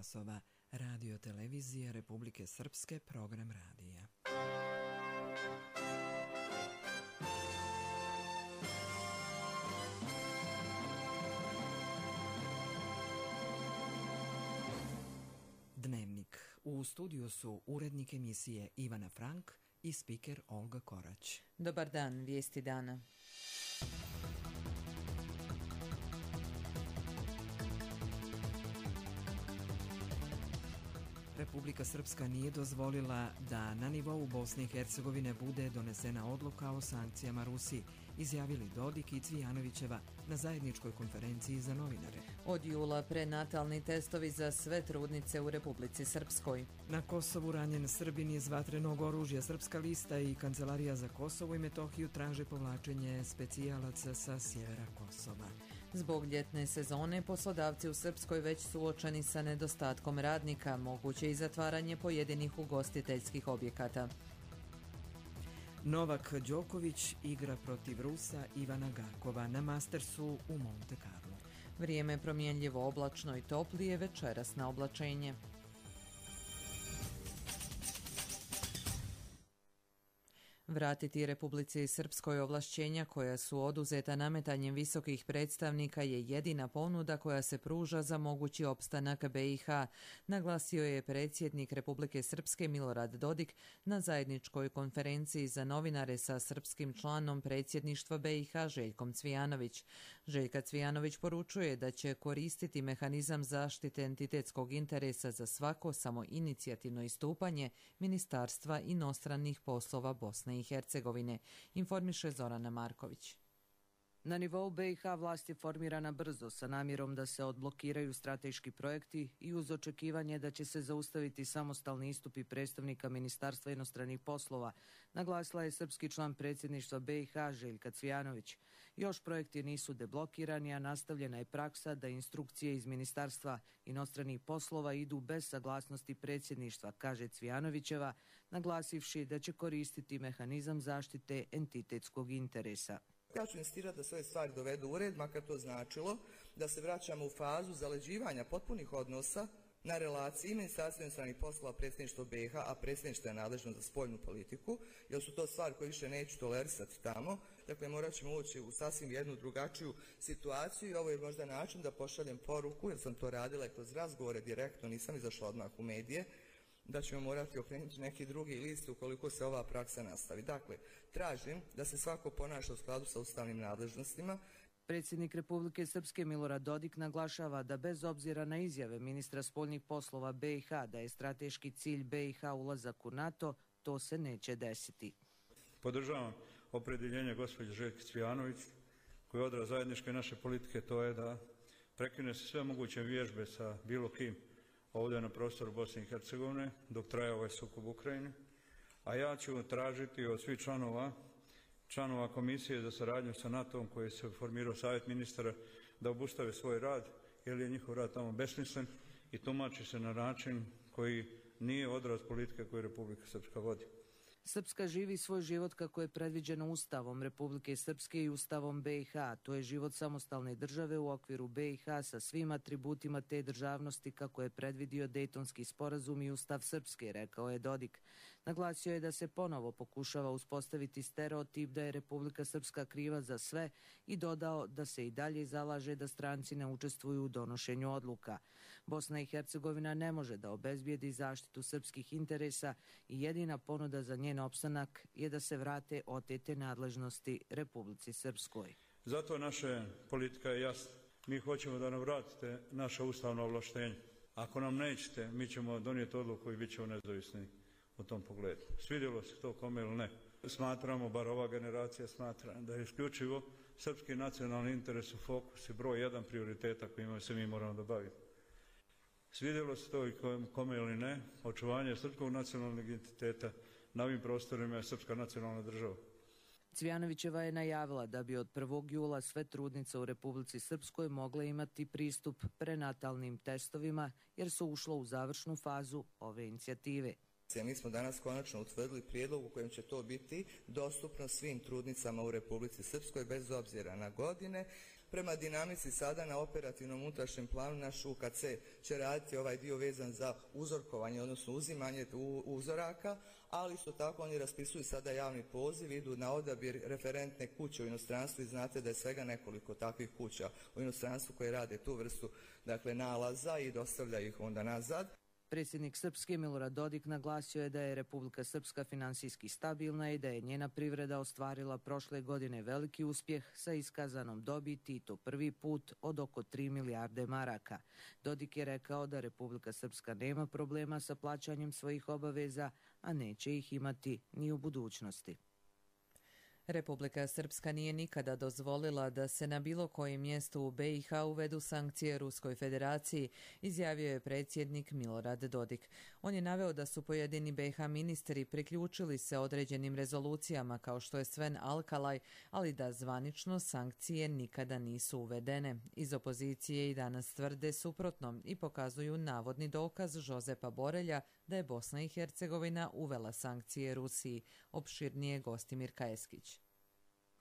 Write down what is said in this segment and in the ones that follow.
časova. Radio televizije Republike Srpske, program radija. Dnevnik. U studiju su urednik emisije Ivana Frank i spiker Olga Korać. Dobar dan, vijesti dana. Republika Srpska nije dozvolila da na nivou Bosne i Hercegovine bude donesena odluka o sankcijama Rusiji, izjavili Dodik i Cvijanovićeva na zajedničkoj konferenciji za novinare. Od jula prenatalni testovi za sve trudnice u Republici Srpskoj. Na Kosovu ranjen Srbin iz vatrenog oružja. Srpska lista i Kancelarija za Kosovo i Metohiju traže povlačenje specijalaca sa sjevera Kosova. Zbog ljetne sezone poslodavci u Srpskoj već suočeni sa nedostatkom radnika, moguće i zatvaranje pojedinih ugostiteljskih objekata. Novak Đoković igra protiv Rusa Ivana Garkova na Mastersu u Monte Carlo. Vrijeme promjenljivo, oblačno i toplije, večeras na oblačenje. Vratiti Republici Srpskoj ovlašćenja koja su oduzeta nametanjem visokih predstavnika je jedina ponuda koja se pruža za mogući opstanak BiH, naglasio je predsjednik Republike Srpske Milorad Dodik na zajedničkoj konferenciji za novinare sa srpskim članom predsjedništva BiH Željkom Cvijanović. Željka Cvijanović poručuje da će koristiti mehanizam zaštite entitetskog interesa za svako samoinicijativno istupanje Ministarstva inostranih poslova Bosne i Hercegovine, informiše Zorana Marković. Na nivou BiH vlast je formirana brzo sa namjerom da se odblokiraju strateški projekti i uz očekivanje da će se zaustaviti samostalni istupi predstavnika Ministarstva inostranih poslova, naglasila je srpski član predsjedništva BiH Željka Cvijanović. Još projekti nisu deblokirani, a nastavljena je praksa da instrukcije iz Ministarstva inostranih poslova idu bez saglasnosti predsjedništva, kaže Cvijanovićeva, naglasivši da će koristiti mehanizam zaštite entitetskog interesa. Ja ću insistirati da sve stvari dovedu u red, makar to značilo da se vraćamo u fazu zaleđivanja potpunih odnosa na relaciji Ministarstva inostranih poslova, predsjedništvo BiH, a predsjedništvo je nadležno za spoljnu politiku, jer su to stvari koje više neću tolerisati tamo. Dakle, morat ćemo ući u sasvim jednu drugačiju situaciju i ovo je možda način da pošaljem poruku, jer sam to radila kroz razgovore direktno, nisam izašla odmah u medije, da ćemo morati okrenuti neki drugi list ukoliko se ova praksa nastavi. Dakle, tražim da se svako ponaša u skladu sa ustavnim nadležnostima. Predsjednik Republike Srpske Milorad Dodik naglašava da bez obzira na izjave ministra spoljnih poslova BiH da je strateški cilj BiH ulazak u NATO, to se neće desiti. Podržavam opredjeljenje gospođe Željke Cvijanović koji je odraz zajedničke naše politike, to je da prekine se sve moguće vježbe sa bilo kim ovdje na prostoru Bosne i Hercegovine dok traje ovaj sukob u Ukrajini, a ja ću tražiti od svih članova Komisije za saradnju sa NATO-om koji se formirao Savjet ministara da obustave svoj rad jer je njihov rad tamo besmislen i tumači se na način koji nije odraz politike koju Republika Srpska vodi. Srpska živi svoj život kako je predviđeno Ustavom Republike Srpske i Ustavom BiH. To je život samostalne države u okviru BiH sa svim atributima te državnosti kako je predvidio Dejtonski sporazum i Ustav Srpske, rekao je Dodik. Naglasio je da se ponovo pokušava uspostaviti stereotip da je Republika Srpska kriva za sve i dodao da se i dalje zalaže da stranci ne učestvuju u donošenju odluka. Bosna i Hercegovina ne može da obezbijedi zaštitu srpskih interesa i jedina ponuda za njen opstanak je da se vrate otete nadležnosti Republici Srpskoj. Zato naša politika je jasna. Mi hoćemo da nam vratite naše ustavno ovlaštenje. Ako nam nećete, mi ćemo donijeti odluku i bit ćemo nezavisni u tom pogledu. Svidjelo se to kome ili ne. Smatramo, bar ova generacija smatra, da je isključivo srpski nacionalni interes u fokus i broj jedan prioriteta kojima se mi moramo da bavimo. Svidjelo se to i kome ili ne, očuvanje srpskog nacionalnog identiteta na ovim prostorima je srpska nacionalna država. Cvijanovićeva je najavila da bi od 1. jula sve trudnice u Republici Srpskoj mogle imati pristup prenatalnim testovima jer su ušle u završnu fazu ove inicijative. Mi smo danas konačno utvrdili prijedlog u kojem će to biti dostupno svim trudnicama u Republici Srpskoj bez obzira na godine. Prema dinamici sada na operativnom unutrašnjem planu naš UKC će raditi ovaj dio vezan za uzorkovanje, odnosno uzimanje uzoraka, ali isto tako oni raspisuju sada javni poziv, idu na odabir referentne kuće u inostranstvu i znate da je svega nekoliko takvih kuća u inostranstvu koje rade tu vrstu nalaza i dostavljaju ih onda nazad. Predsjednik Srpske Milorad Dodik naglasio je da je Republika Srpska finansijski stabilna i da je njena privreda ostvarila prošle godine veliki uspjeh sa iskazanom dobiti i to prvi put od oko 3 milijarde maraka. Dodik je rekao da Republika Srpska nema problema sa plaćanjem svojih obaveza, a neće ih imati ni u budućnosti. Republika Srpska nije nikada dozvolila da se na bilo kojem mjestu u BiH uvedu sankcije Ruskoj federaciji, izjavio je predsjednik Milorad Dodik. On je naveo da su pojedini BiH ministri priključili se određenim rezolucijama kao što je Sven Alkalaj, ali da zvanično sankcije nikada nisu uvedene. Iz opozicije i danas tvrde suprotno i pokazuju navodni dokaz Žozepa Borelja da je Bosna i Hercegovina uvela sankcije Rusiji. Opširnije Gostimir Kajeskić.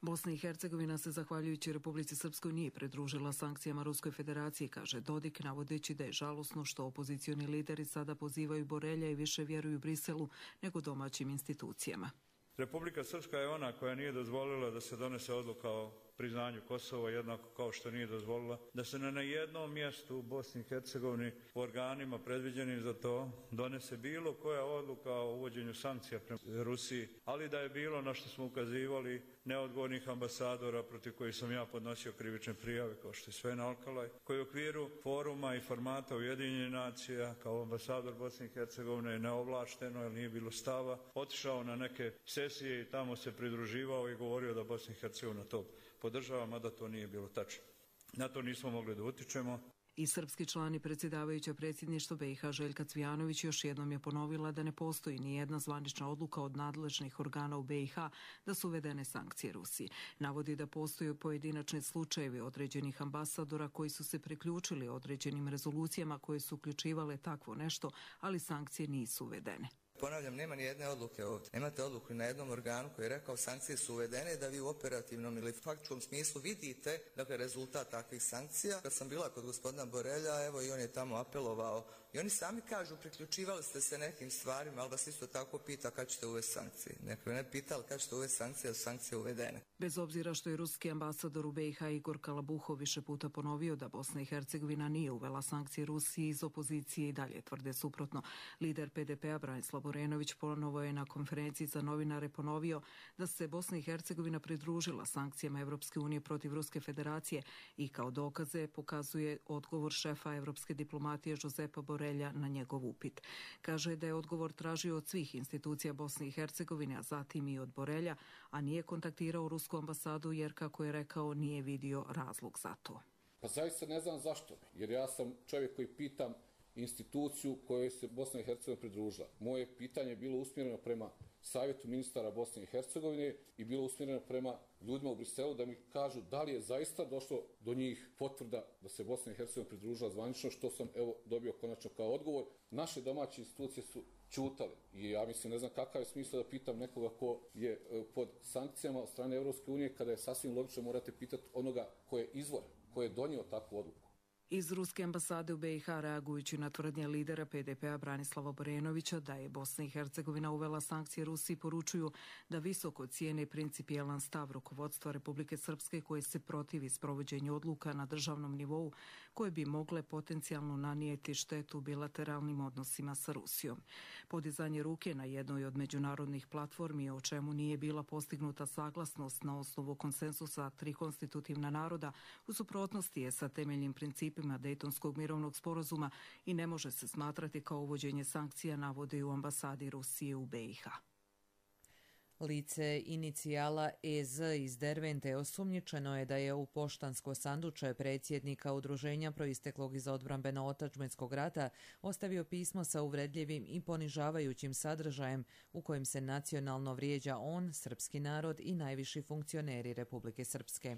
Bosna i Hercegovina se zahvaljujući Republici Srpskoj nije pridružila sankcijama Ruskoj federaciji, kaže Dodik, navodeći da je žalosno što opozicioni lideri sada pozivaju Borelja i više vjeruju Briselu nego domaćim institucijama. Republika Srpska je ona koja nije dozvolila da se donese odluka o priznanju Kosova, jednako kao što nije dozvolila da se na jednom mjestu u Bosni i Hercegovini u organima predviđenim za to donese bilo koja odluka o uvođenju sankcija prema Rusiji, ali da je bilo, na što smo ukazivali, neodgovornih ambasadora protiv kojih sam ja podnosio krivične prijave, kao što je Sven Alkalaj, koji u okviru foruma i formata Ujedinjenih nacija kao ambasador Bosne i Hercegovine neovlašteno, jer nije bilo stava, otišao na neke sesije i tamo se pridruživao i govorio da Bosna i Hercegovina to podržava, mada to nije bilo tačno. Na to nismo mogli da utičemo. I srpski član i predsjedavajuća predsjedništva BiH Željka Cvijanović još jednom je ponovila da ne postoji ni jedna zvanična odluka od nadležnih organa u BiH da su uvedene sankcije Rusiji. Navodi da postoje pojedinačni slučajevi određenih ambasadora koji su se priključili određenim rezolucijama koje su uključivale takvo nešto, ali sankcije nisu uvedene. Ponavljam, nema ni jedne odluke ovdje. Nemate odluku na jednom organu koji je rekao sankcije su uvedene, da vi u operativnom ili faktičkom smislu vidite rezultat takvih sankcija. Kad sam bila kod gospodina Borelja, evo i on je tamo apelovao i oni sami kažu priključivali ste se nekim stvarima, ali vas isto tako pita kad ćete uvesti sankcije. Neko ne pitali kad ćete uvesti sankcije, su sankcije uvedene. Bez obzira što je ruski ambasador u BiH Igor Kalabuhov više puta ponovio da Bosna i Hercegovina nije uvela sankcije Rusiji, iz opozicije i dalje tvrde suprotno. Lider PDP-a Branislav Borenović ponovo je na konferenciji za novinare ponovio da se Bosna i Hercegovina pridružila sankcijama Evropske unije protiv Ruske federacije i kao dokaze pokazuje odgovor šefa evropske diplomatije Žozepa Borelja na njegov upit. Kaže da je odgovor tražio od svih institucija Bosne i Hercegovine, a zatim i od Borelja, a nije kontaktirao rusku ambasadu jer, kako je rekao, nije vidio razlog za to. Pa zaista ne znam zašto, jer ja sam čovjek koji pitam instituciju kojoj se Bosna i Hercegovina pridružila. Moje pitanje je bilo usmjereno prema Savjetu ministara Bosne i Hercegovine i bilo usmjereno prema ljudima u Briselu da mi kažu da li je zaista došlo do njih potvrda da se Bosna i Hercegovina pridružila zvanično, što sam dobio konačno kao odgovor. Naše domaće institucije su ćutale i ja mislim, ne znam kakav je smisao da pitam nekoga ko je pod sankcijama od strane Evropske unije, kada je sasvim logično morate pitati onoga ko je izvor, ko je donio takvu odluku. Iz ruske ambasade u BiH, reagujući na tvrdnje lidera PDP-a Branislava Borenovića da je Bosna i Hercegovina uvela sankcije Rusiji, poručuju da visoko cijene principijelan stav rukovodstva Republike Srpske koje se protivi sprovođenju odluka na državnom nivou koje bi mogle potencijalno nanijeti štetu bilateralnim odnosima sa Rusijom. Podizanje ruke na jednoj od međunarodnih platformi, o čemu nije bila postignuta saglasnost na osnovu konsensusa 3 konstitutivna naroda, u suprotnosti je sa temeljnim principima Dejtonskog mirovnog sporazuma i ne može se smatrati kao uvođenje sankcija, navode u ambasadi Rusije u BiH. Lice inicijala EZ iz Dervente osumnjičeno je da je u poštansko sanduče predsjednika udruženja proisteklog iz odbrambeno-otadžbinskog rata ostavio pismo sa uvredljivim i ponižavajućim sadržajem u kojem se nacionalno vrijeđa on, srpski narod i najviši funkcioneri Republike Srpske.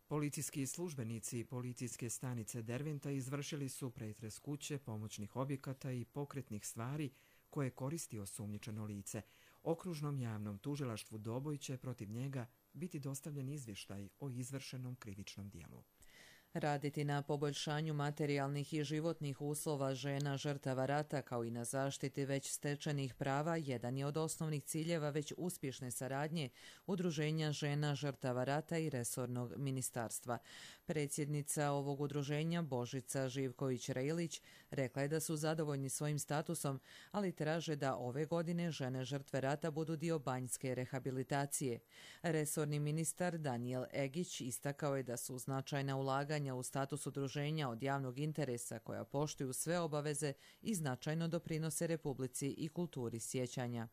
Policijski službenici policijske stanice Derventa izvršili su pretres kuće, pomoćnih objekata i pokretnih stvari koje koristi osumnjičeno lice. Okružnom javnom tužilaštvu Doboj će protiv njega biti dostavljen izvještaj o izvršenom krivičnom dijelu. Raditi na poboljšanju materijalnih i životnih uslova žena žrtava rata kao i na zaštiti već stečenih prava jedan je od osnovnih ciljeva već uspješne saradnje Udruženja žena žrtava rata i resornog ministarstva. Predsjednica ovog udruženja Božica Živković-Rejlić rekla je da su zadovoljni svojim statusom, ali traže da ove godine žene žrtve rata budu dio banjske rehabilitacije. Resorni ministar Danijel Egić istakao je da su značajna ulaganja u status udruženja od javnog interesa koja poštuju sve obaveze i značajno doprinose Republici i kulturi sjećanja.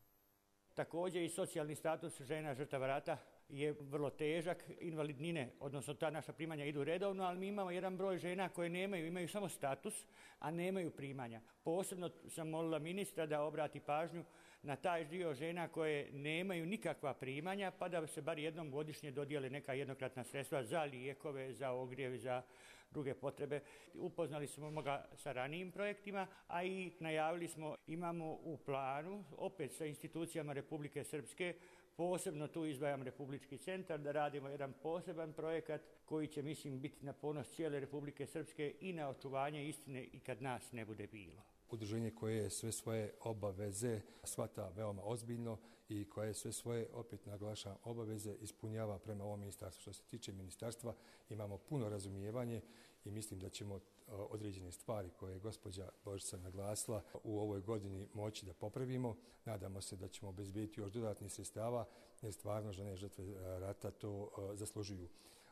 Također i socijalni status žena žrtava rata je vrlo težak. Invalidnine, odnosno ta naša primanja idu redovno, ali mi imamo jedan broj žena koje imaju samo status, a nemaju primanja. Posebno sam molila ministra da obrati pažnju na taj dio žena koje nemaju nikakva primanja, pa da se bar jednom godišnje dodijele neka jednokratna sredstva za lijekove, za ogrjev, za druge potrebe. Upoznali smo ga sa ranijim projektima, a i najavili smo, imamo u planu, opet sa institucijama Republike Srpske, posebno tu izdvajam Republički centar, da radimo jedan poseban projekat koji će, mislim, biti na ponos cijele Republike Srpske i na očuvanje istine i kad nas ne bude bilo. Udruženje koje sve svoje obaveze shvata veoma ozbiljno i koje sve svoje, opet naglašavam, obaveze ispunjava prema ovom ministarstvu. Što se tiče ministarstva, imamo puno razumijevanje i mislim da ćemo određene stvari koje je gospođa Božica naglasila u ovoj godini moći da popravimo. Nadamo se da ćemo obezbediti još dodatnih sredstava jer stvarno žene žrtve rata to zaslužuju.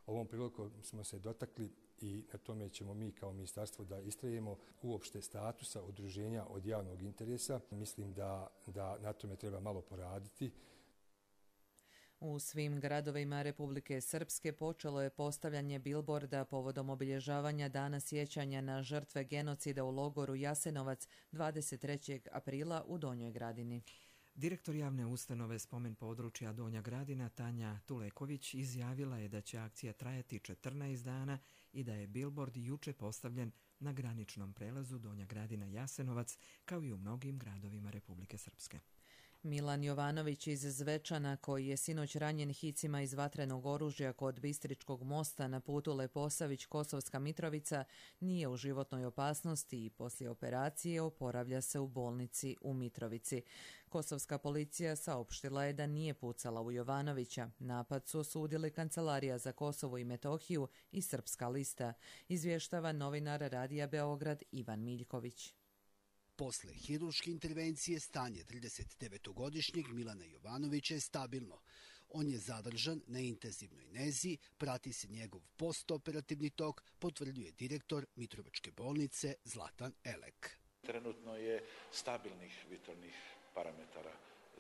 Ovom prilikom smo se dotakli i na tome ćemo mi kao ministarstvo da istrajemo uopšte statusa udruženja od javnog interesa. Mislim da na tome treba malo poraditi. U svim gradovima Republike Srpske počelo je postavljanje bilborda povodom obilježavanja Dana sjećanja na žrtve genocida u logoru Jasenovac 23. aprila u Donjoj Gradini. Direktor javne ustanove Spomen područja Donja Gradina Tanja Tuleković izjavila je da će akcija trajati 14 dana i da je bilbord juče postavljen na graničnom prelazu Donja Gradina Jasenovac kao i u mnogim gradovima Republike Srpske. Milan Jovanović iz Zvečana, koji je sinoć ranjen hicima iz vatrenog oružja kod Bistričkog mosta na putu Leposavić-Kosovska Mitrovica, nije u životnoj opasnosti i poslije operacije oporavlja se u bolnici u Mitrovici. Kosovska policija saopštila je da nije pucala u Jovanovića. Napad su osudili Kancelarija za Kosovo i Metohiju i Srpska lista, izvještava novinar Radija Beograd Ivan Miljković. Posle hirurške intervencije stanje 39-godišnjeg Milana Jovanovića je stabilno. On je zadržan na intenzivnoj nezi, prati se njegov postoperativni tok, potvrđuje direktor Mitrovačke bolnice Zlatan Elek. Trenutno je stabilnih vitalnih parametara.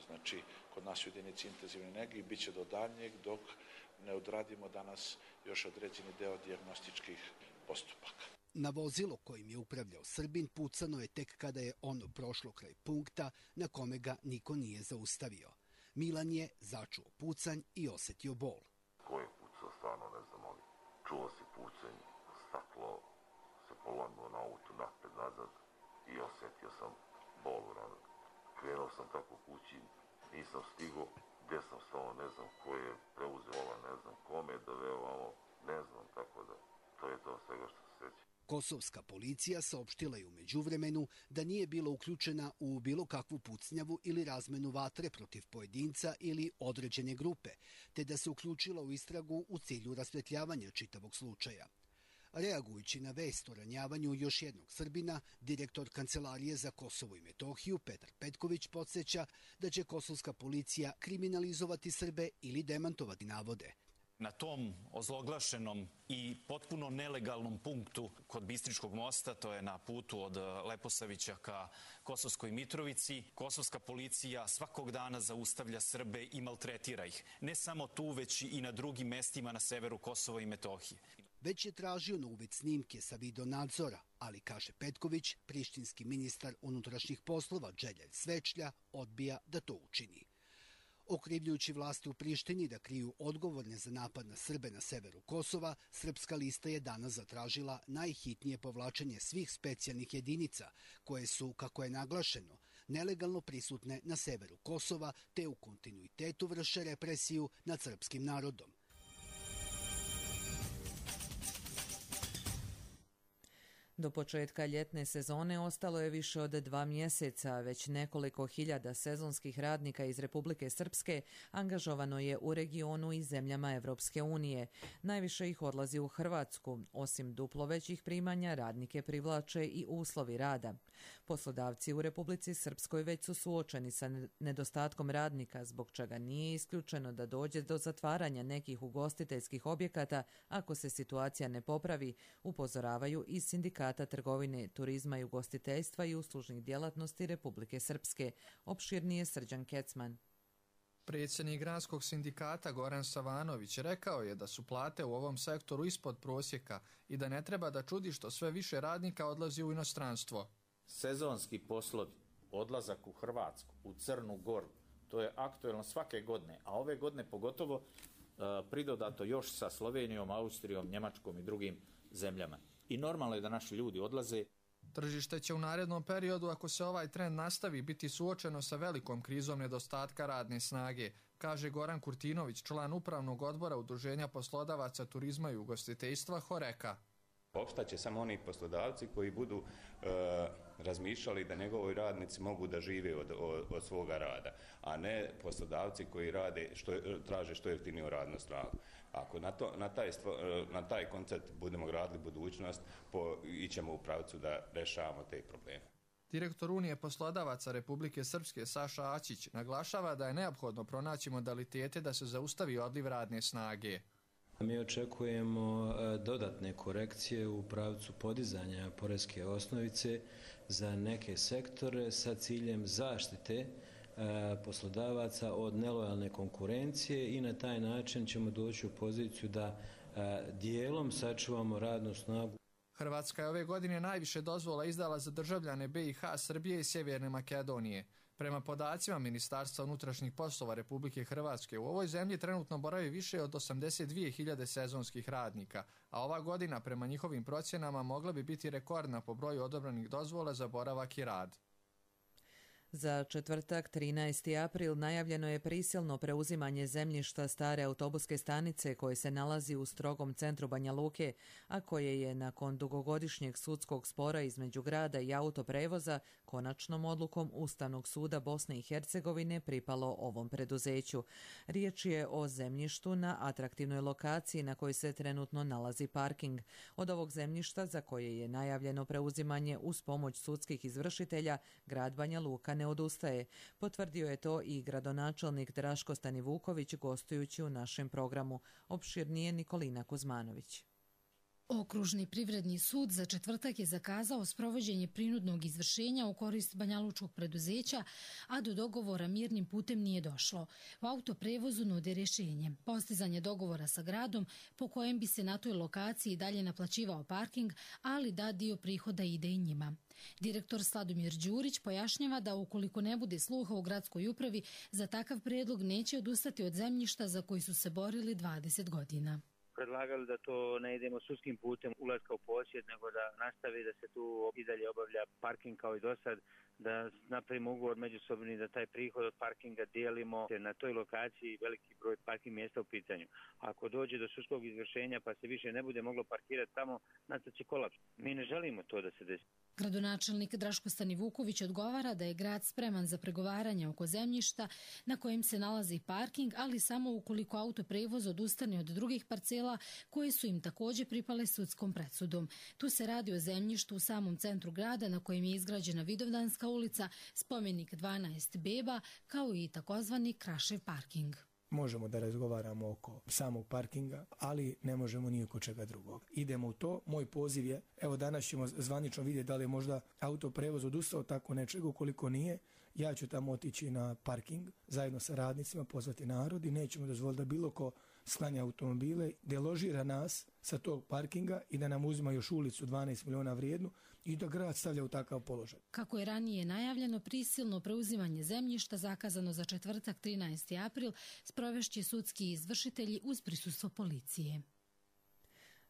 Znači, kod nas u jedinici intenzivne nege bit će do daljnjeg dok ne odradimo danas još određeni deo dijagnostičkih postupaka. Na vozilo kojim je upravljao Srbin pucano je tek kada je ono prošlo kraj punkta na kome ga niko nije zaustavio. Milan je začuo pucanj i osjetio bol. Ko je pucao, stvarno ne znam, ali čuo se pucanj, staklo se polomilo na autu napred nazad i osjetio sam bol u ranu. Krenuo sam tako kući, nisam stigao, gdje sam stao, ne znam ko je preuzeo, ne znam kome je doveo ovo, ne znam, tako da to je to svega što se sjeća. Kosovska policija saopštila je u međuvremenu da nije bila uključena u bilo kakvu pucnjavu ili razmenu vatre protiv pojedinca ili određene grupe, te da se uključila u istragu u cilju rasvetljavanja čitavog slučaja. Reagujući na vest o ranjavanju još jednog Srbina, direktor Kancelarije za Kosovo i Metohiju Petar Petković podsjeća da će kosovska policija kriminalizovati Srbe ili demantovati navode. Na tom ozloglašenom i potpuno nelegalnom punktu kod Bistričkog mosta, to je na putu od Leposavića ka Kosovskoj Mitrovici, kosovska policija svakog dana zaustavlja Srbe i maltretira ih. Ne samo tu, već i na drugim mestima na severu Kosova i Metohije. Već je tražio na uvid snimke sa videonadzora, ali, kaže Petković, prištinski ministar unutrašnjih poslova Đelja Svečlja odbija da to učini. Okrivljujući vlasti u Prištini da kriju odgovorne za napad na Srbe na severu Kosova, Srpska lista je danas zatražila najhitnije povlačenje svih specijalnih jedinica, koje su, kako je naglašeno, nelegalno prisutne na severu Kosova, te u kontinuitetu vrše represiju nad srpskim narodom. Do početka ljetne sezone ostalo je više od 2 mjeseca, već nekoliko hiljada sezonskih radnika iz Republike Srpske angažovano je u regionu i zemljama Evropske unije. Najviše ih odlazi u Hrvatsku. Osim duplo većih primanja, radnike privlače i uslovi rada. Poslodavci u Republici Srpskoj već su suočeni sa nedostatkom radnika, zbog čega nije isključeno da dođe do zatvaranja nekih ugostiteljskih objekata ako se situacija ne popravi, upozoravaju iz Sindikata trgovine, turizma i ugostiteljstva i uslužnih djelatnosti Republike Srpske. Opširnije Srđan Kecman. Predsjednik gradskog sindikata Goran Savanović rekao je da su plate u ovom sektoru ispod prosjeka i da ne treba da čudi što sve više radnika odlazi u inostranstvo. Sezonski poslovi, odlazak u Hrvatsku, u Crnu Goru, to je aktuelno svake godine, a ove godine pogotovo pridodato još sa Slovenijom, Austrijom, Njemačkom i drugim zemljama. I normalno je da naši ljudi odlaze. Tržište će u narednom periodu, ako se ovaj trend nastavi, biti suočeno sa velikom krizom nedostatka radne snage, kaže Goran Kurtinović, član upravnog odbora Udruženja poslodavaca turizma i ugostiteljstva Horeka. Opstaće samo oni poslodavci koji budu razmišljali da njegovi radnici mogu da žive od svoga rada, a ne poslodavci koji traže što jeftiniju radnu snagu. Ako na taj koncept budemo gradili budućnost, ićemo u pravcu da rešavamo te probleme. Direktor Unije poslodavaca Republike Srpske Saša Ačić naglašava da je neophodno pronaći modalitete da se zaustavi odliv radne snage. Mi očekujemo dodatne korekcije u pravcu podizanja poreske osnovice za neke sektore sa ciljem zaštite poslodavaca od nelojalne konkurencije i na taj način ćemo doći u poziciju da dijelom sačuvamo radnu snagu. Hrvatska je ove godine najviše dozvola izdala za državljane BiH, Srbije i Sjeverne Makedonije. Prema podacima Ministarstva unutrašnjih poslova Republike Hrvatske, u ovoj zemlji trenutno boravi više od 82.000 sezonskih radnika, a ova godina prema njihovim procjenama mogla bi biti rekordna po broju odobranih dozvola za boravak i rad. Za četvrtak, 13. april, najavljeno je prisilno preuzimanje zemljišta stare autobuske stanice koje se nalazi u strogom centru Banja Luke, a koje je nakon dugogodišnjeg sudskog spora između grada i autoprevoza konačnom odlukom Ustavnog suda Bosne i Hercegovine pripalo ovom preduzeću. Riječ je o zemljištu na atraktivnoj lokaciji na kojoj se trenutno nalazi parking. Od ovog zemljišta, za koje je najavljeno preuzimanje uz pomoć sudskih izvršitelja, grad Banja Luka ne odustaje. Potvrdio je to i gradonačelnik Draško Stanivuković gostujući u našem programu. Opširnije Nikolina Kuzmanović. Okružni privredni sud za četvrtak je zakazao sprovođenje prinudnog izvršenja u korist banjalučkog preduzeća, a do dogovora mirnim putem nije došlo. U autoprevozu nude rješenje, postizanje dogovora sa gradom po kojem bi se na toj lokaciji dalje naplaćivao parking, ali da dio prihoda ide i njima. Direktor Sladomir Đurić pojašnjava da ukoliko ne bude sluha u gradskoj upravi, za takav prijedlog neće odustati od zemljišta za koji su se borili 20 godina. Predlagali da to ne idemo sudskim putem ulaska u posjed, nego da nastavi da se tu i dalje obavlja parking kao i do sad, da napravimo ugovor međusobni, da taj prihod od parkinga dijelimo na toj lokaciji, veliki broj parking mjesta u pitanju. Ako dođe do sudskog izvršenja pa se više ne bude moglo parkirati tamo, nastat će kolaps. Mi ne želimo to da se desi. Gradonačelnik Draško Stanivuković odgovara da je grad spreman za pregovaranje oko zemljišta na kojem se nalazi parking, ali samo ukoliko autoprevoz odustane od drugih parcela koje su im također pripale sudskom presudom. Tu se radi o zemljištu u samom centru grada na kojem je izgrađena Vidovdanska ulica, spomenik 12 beba, kao i takozvani Krašev parking. Možemo da razgovaramo oko samog parkinga, ali ne možemo ni oko čega drugog. Idemo u to. Moj poziv je, evo danas ćemo zvanično vidjeti da li je možda autoprevoz odustao tako nečega, ukoliko nije, ja ću tamo otići na parking zajedno sa radnicima, pozvati narod i nećemo dozvoliti da bilo ko sklanja automobile, deložira nas sa tog parkinga i da nam uzima još ulicu 12 miliona vrijednu i da grad stavlja u takav položaj. Kako je ranije najavljeno, prisilno preuzimanje zemljišta zakazano za četvrtak 13. april sprovešće sudski izvršitelji uz prisustvo policije.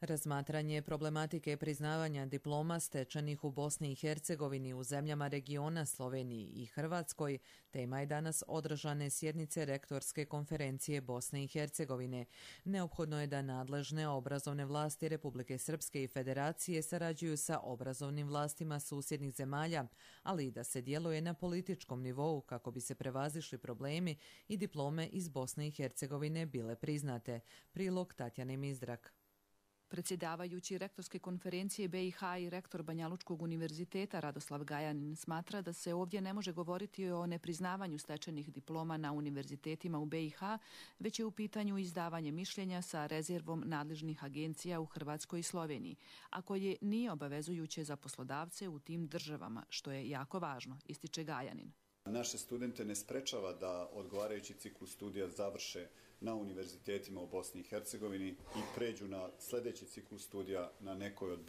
Razmatranje problematike priznavanja diploma stečenih u Bosni i Hercegovini u zemljama regiona Sloveniji i Hrvatskoj tema je danas održane sjednice Rektorske konferencije Bosne i Hercegovine. Neophodno je da nadležne obrazovne vlasti Republike Srpske i Federacije sarađuju sa obrazovnim vlastima susjednih zemalja, ali i da se djeluje na političkom nivou kako bi se prevazišli problemi i diplome iz Bosne i Hercegovine bile priznate. Prilog Tatjane Mizdrak. Predsjedavajući Rektorske konferencije BiH i rektor Banjalučkog univerziteta Radoslav Gajanin smatra da se ovdje ne može govoriti o nepriznavanju stečenih diploma na univerzitetima u BiH, već je u pitanju izdavanje mišljenja sa rezervom nadležnih agencija u Hrvatskoj i Sloveniji, a koje nije obavezujuće za poslodavce u tim državama, što je jako važno, ističe Gajanin. Naše studente ne sprečava da odgovarajući ciklus studija završe na univerzitetima u Bosni i Hercegovini i pređu na sljedeći ciklus studija na nekoj od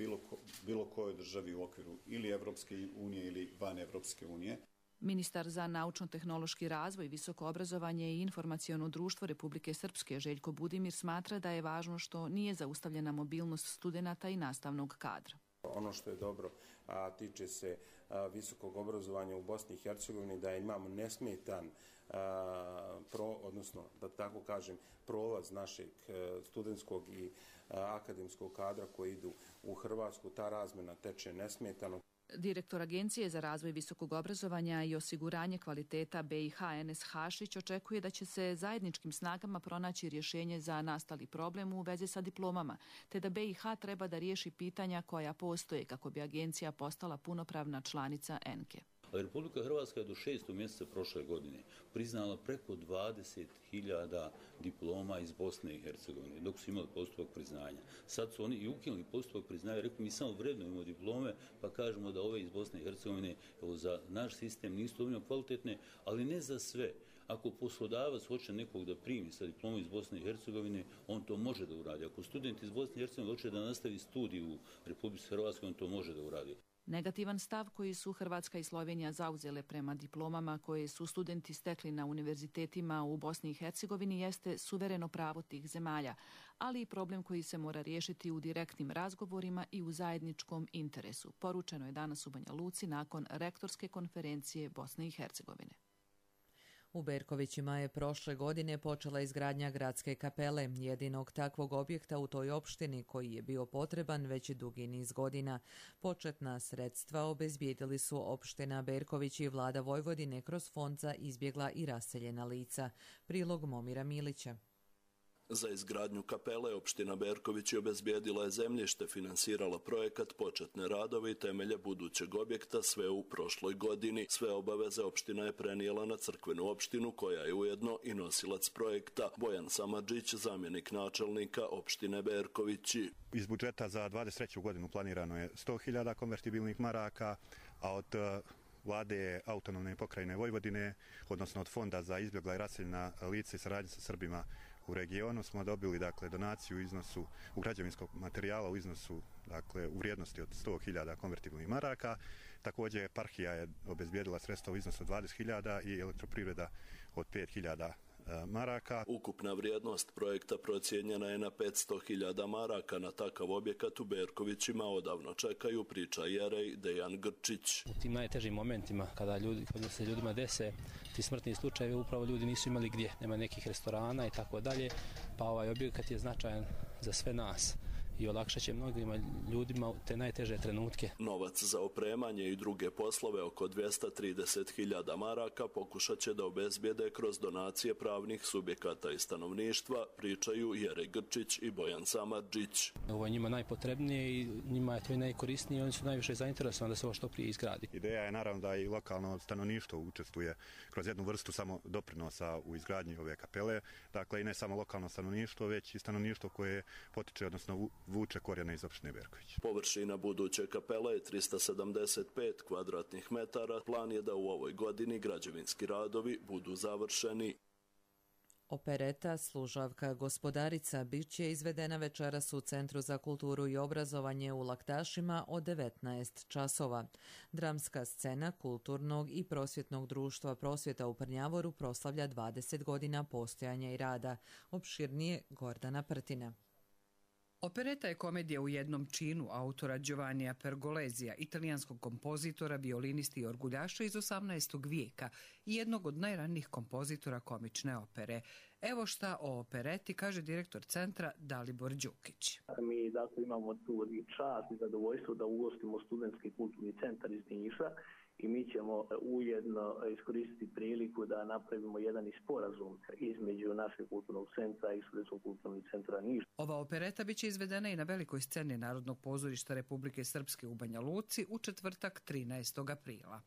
bilo kojoj državi u okviru ili Evropske unije ili van Evropske unije. Ministar za naučno-tehnološki razvoj, visoko obrazovanje i informaciono društvo Republike Srpske Željko Budimir smatra da je važno što nije zaustavljena mobilnost studenata i nastavnog kadra. Ono što je dobro, a tiče se visokog obrazovanja u Bosni i Hercegovini, da imamo nesmetan odnosno da tako kažem prolaz našeg studentskog i akademskog kadra koji idu u Hrvatsku. Ta razmjena teče nesmetano. Direktor Agencije za razvoj visokog obrazovanja i osiguranje kvaliteta BiH Enes Hašić očekuje da će se zajedničkim snagama pronaći rješenje za nastali problem u vezi sa diplomama, te da BiH treba da riješi pitanja koja postoje kako bi agencija postala punopravna članica ENKE. Republika Hrvatska je do 6. mjeseca prošle godine priznala preko 20.000 diploma iz Bosne i Hercegovine, dok su imali postupak priznanja. Sad su oni i ukinuli postupak priznanja, rekli mi samo vrednujemo diplome, pa kažemo da ove iz Bosne i Hercegovine za naš sistem nisu dovoljno kvalitetne, ali ne za sve. Ako poslodavac hoće nekog da primi sa diplomom iz Bosne i Hercegovine, on to može da uradi. Ako student iz Bosne i Hercegovine hoće da nastavi studij u Republici Hrvatskoj, on to može da uradi. Negativan stav koji su Hrvatska i Slovenija zauzele prema diplomama koje su studenti stekli na univerzitetima u Bosni i Hercegovini jeste suvereno pravo tih zemalja, ali i problem koji se mora riješiti u direktnim razgovorima i u zajedničkom interesu. Poručeno je danas u Banja Luci nakon Rektorske konferencije Bosne i Hercegovine. U Berkovićima je prošle godine počela izgradnja gradske kapele, jedinog takvog objekta u toj opštini koji je bio potreban već dugi niz godina. Početna sredstva obezbijedili su opština Berković i vlada Vojvodine kroz fond za izbjegla i raseljena lica. Prilog Momira Milića. Za izgradnju kapele opština Berković je obezbijedila je zemljište, finansirala projekat, početne radove i temelje budućeg objekta, sve u prošloj godini. Sve obaveze opština je prenijela na crkvenu opštinu, koja je ujedno i nosilac projekta. Bojan Samardžić, zamjenik načelnika opštine Berkovići. Iz budžeta za 23. godinu planirano je 100.000 konvertibilnih maraka, a od vlade autonomne pokrajine Vojvodine, odnosno od fonda za izbjegla i raseljena lica i saradnje sa Srbima u regionu, smo dobili donaciju u iznosu u građevinskog materijala u iznosu u vrijednosti od 100.000 konvertibilnih maraka. Također eparhija je obezbijedila sredstva u iznosu od 20.000 i elektroprivreda od 5.000 maraka. Ukupna vrijednost projekta procijenjena je na 500.000 maraka. Na takav objekat u Berkovićima odavno čekaju, priča Jerej Dejan Grčić. U tim najtežim momentima kada se ljudima dese ti smrtni slučajevi, upravo ljudi nisu imali gdje, nema nekih restorana i tako dalje, pa ovaj objekat je značajan za sve nas i olakšat će mnogim ljudima te najteže trenutke. Novac za opremanje i druge poslove, oko 230.000 maraka, pokušat će da obezbijede kroz donacije pravnih subjekata i stanovništva, pričaju Jerej Grčić i Bojan Samardžić. Ovo je njima najpotrebnije i njima je to i najkorisnije i oni su najviše zainteresovani da se ovo što prije izgradi. Ideja je naravno da i lokalno stanovništvo učestvuje kroz jednu vrstu samo doprinosa u izgradnji ove kapele. Dakle, i ne samo lokalno stanovništvo, već i stanovništvo koje potiče, odnosno vuče korijene iz opštine Berković. Površina buduće kapele je 375 kvadratnih metara. Plan je da u ovoj godini građevinski radovi budu završeni. Opereta Služavka gospodarica bit će izvedena večeras u Centru za kulturu i obrazovanje u Laktašima od 19 časova. Dramska scena Kulturnog i prosvjetnog društva Prosvjeta u Prnjavoru proslavlja 20 godina postojanja i rada. Opširnije Gordana Prtina. Opereta je komedija u jednom činu autora Giovannija Pergolesija, italijanskog kompozitora, violinisti i orguljaša iz 18. vijeka i jednog od najranijih kompozitora komične opere. Evo šta o opereti kaže direktor centra Dalibor Đukić. Mi dakle imamo tu i čast i zadovoljstvo da ugostimo studentski kulturni centar iz Niša i mi ćemo ujedno iskoristiti priliku da napravimo jedan sporazum između našeg kulturnog centra i Studentskog kulturnog centra Niš. Ova opereta biće izvedena i na velikoj sceni Narodnog pozorišta Republike Srpske u Banja Luci u četvrtak 13. aprila.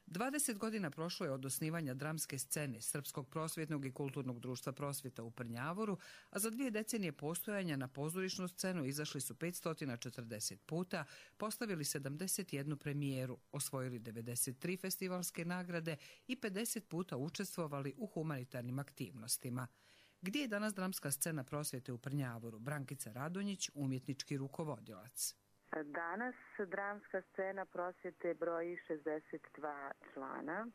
20 godina prošlo je od osnivanja dramske scene Srpskog prosvjetnog i kulturnog društva Prosvjeta u Prnjavoru, a za 2 decenije postojanja na pozorišnu scenu izašli su 540 puta, postavili 71 premijeru, osvojili 93 festivalske nagrade i 50 puta učestvovali u humanitarnim aktivnostima. Gdje je danas dramska scena Prosvjete u Prnjavoru? Brankica Radonjić, umjetnički rukovodilac. Danas dramska scena Prosvjete broji 62 člana,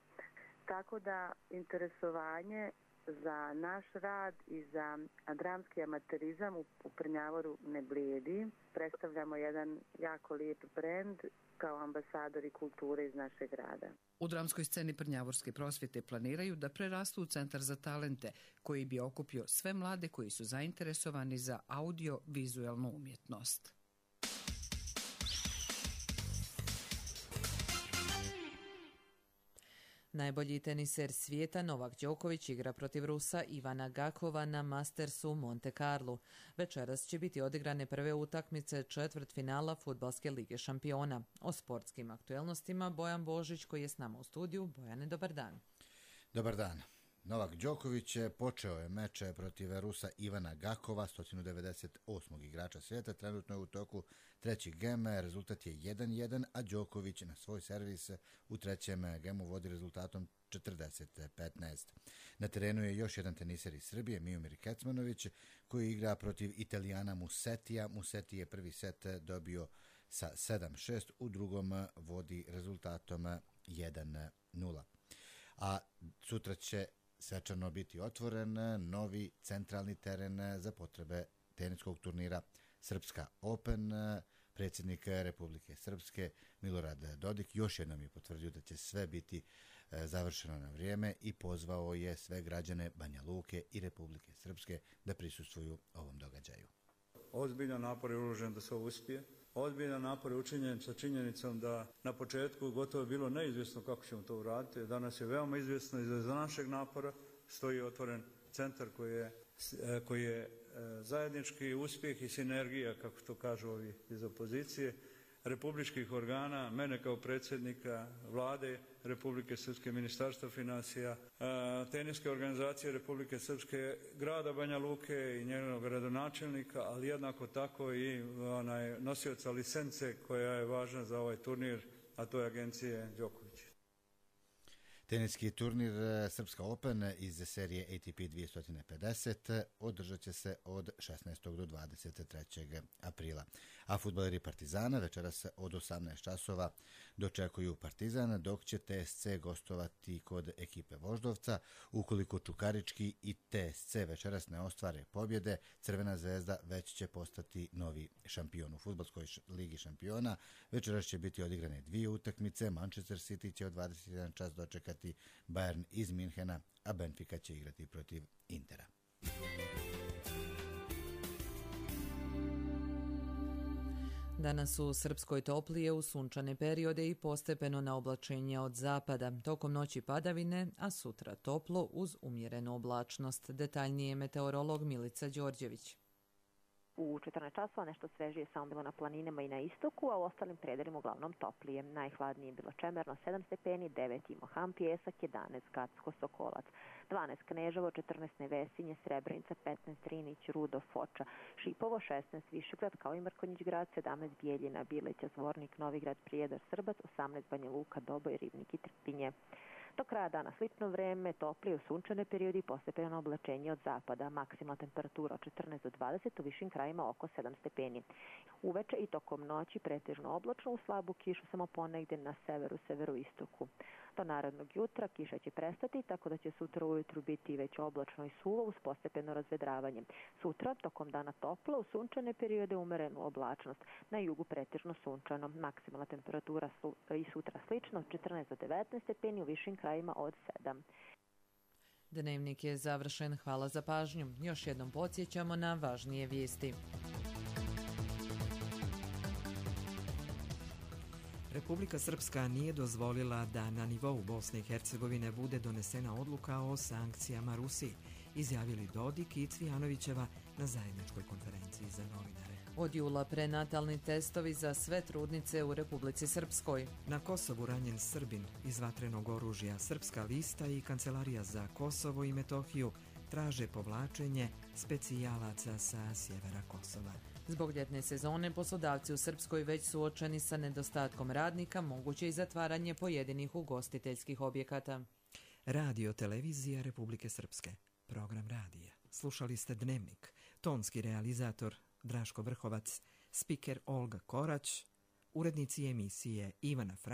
tako da interesovanje za naš rad i za dramski amaterizam u Prnjavoru ne blijedi. Predstavljamo jedan jako lijep brend kao ambasadori kulture iz našeg grada. U dramskoj sceni Prnjavorske prosvjete planiraju da prerastu u centar za talente, koji bi okupio sve mlade koji su zainteresovani za audio-vizualnu umjetnost. Najbolji teniser svijeta Novak Đoković igra protiv Rusa Ivana Gakova na Mastersu u Monte Carlu. Večeras će biti odigrane prve utakmice četvrtfinala Fudbalske lige šampiona. O sportskim aktuelnostima Bojan Božić koji je s nama u studiju. Bojane, dobar dan. Dobar dan. Novak Đoković počeo je meč protiv Rusa Ivana Gakova, 198. igrača svijeta. Trenutno je u toku treći gem, rezultat je 1-1, a Đoković na svoj servis u trećem gemu vodi rezultatom 40-15. Na terenu je još jedan teniser iz Srbije, Miomir Kecmanović, koji igra protiv Italijana Musetija. Museti je prvi set dobio sa 7-6, u drugom vodi rezultatom 1-0. A sutra će svečano biti otvoren novi centralni teren za potrebe teniskog turnira Srpska Open. Predsjednik Republike Srpske Milorad Dodik još jednom je potvrdio da će sve biti završeno na vrijeme i pozvao je sve građane Banja Luke i Republike Srpske da prisustvuju ovom događaju. Ozbiljan napor je uložen da se ovo uspije. Ozbiljan napor je učinjen sa činjenicom da na početku gotovo je bilo neizvjesno kako ćemo to uraditi. Danas je veoma izvjesno i za našeg napora stoji otvoren centar koji je zajednički uspjeh i sinergija, kako to kažu ovi iz opozicije, republičkih organa, mene kao predsjednika Vlade Republike Srpske, Ministarstva financija, teniske organizacije Republike Srpske, grada Banja Luke i njenog gradonačelnika, ali jednako tako i nosioca licence koja je važna za ovaj turnir, a to je agencije Đoković. Teniski turnir Srpska Open iz serije ATP 250 održat će se od 16. do 23. aprila. A fudbaleri Partizana večeras od 18 časova dočekuju Partizan, dok će TSC gostovati kod ekipe Voždovca. Ukoliko Čukarički i TSC večeras ne ostvare pobjede, Crvena zvezda već će postati novi šampion. U Fudbalskoj ligi šampiona večeras će biti odigrane 2 utakmice. Manchester City će od 21 čas dočekati Bayern iz Minhena, a Benfica će igrati protiv Intera. Danas u Srpskoj toplije u sunčane periode i postepeno na oblačenje od zapada. Tokom noći padavine, a sutra toplo uz umjerenu oblačnost. Detaljnije meteorolog Milica Đorđević. U 14 časova nešto svežije samo bilo na planinama i na istoku, a u ostalim predelima uglavnom toplije. Najhladnije je bilo Čemerno 7 stepeni, 9 Imohan, Pjesak, 11 Gacko, Sokolac, 12 Kneževo, 14 Nevesinje, Srebrenica, 15 Drinić, Rudo, Foča, Šipovo, 16 Višegrad, kao i Mrkonjić grad, 17 Bijeljina, Bileća, Zvornik, Novigrad, Prijedor, Srbac, 18 Banja Luka, Doboj, Ribnik i Trpinje. Do kraja dana slično vreme, toplije u sunčane periodi i postepeno oblačenje od zapada. Maksimalna temperatura od 14 do 20, u višim krajima oko 7 stepeni. Uveče i tokom noći pretežno oblačno, u slabu kišu samo ponegdje na severu, severoistoku. Do narednog jutra kiša će prestati, tako da će sutra ujutru biti već oblačno i suvo uz postepeno razvedravanje. Sutra, tokom dana toplo, u sunčane periode umerenu oblačnost. Na jugu pretežno sunčano. Maksimalna temperatura i sutra slično od 14 do 19 stepeni, u višim krajima od 7. Dnevnik je završen. Hvala za pažnju. Još jednom podsjećamo na važnije vijesti. Republika Srpska nije dozvolila da na nivou Bosne i Hercegovine bude donesena odluka o sankcijama Rusiji, izjavili Dodik i Cvijanovićeva na zajedničkoj konferenciji za novinare. Od jula prenatalni testovi za sve trudnice u Republici Srpskoj. Na Kosovu ranjen Srbin iz vatrenog oružja. Srpska lista i Kancelarija za Kosovo i Metohiju traže povlačenje specijalaca sa sjevera Kosova. Zbog ljetne sezone poslodavci u Srpskoj već suočeni sa nedostatkom radnika, moguće i zatvaranje pojedinih ugostiteljskih objekata. Radio televizija Republike Srpske. Program radija. Slušali ste Dnevnik. Tonski realizator Draško Vrhovac, spiker Olga Korać, urednici emisije Ivana Fra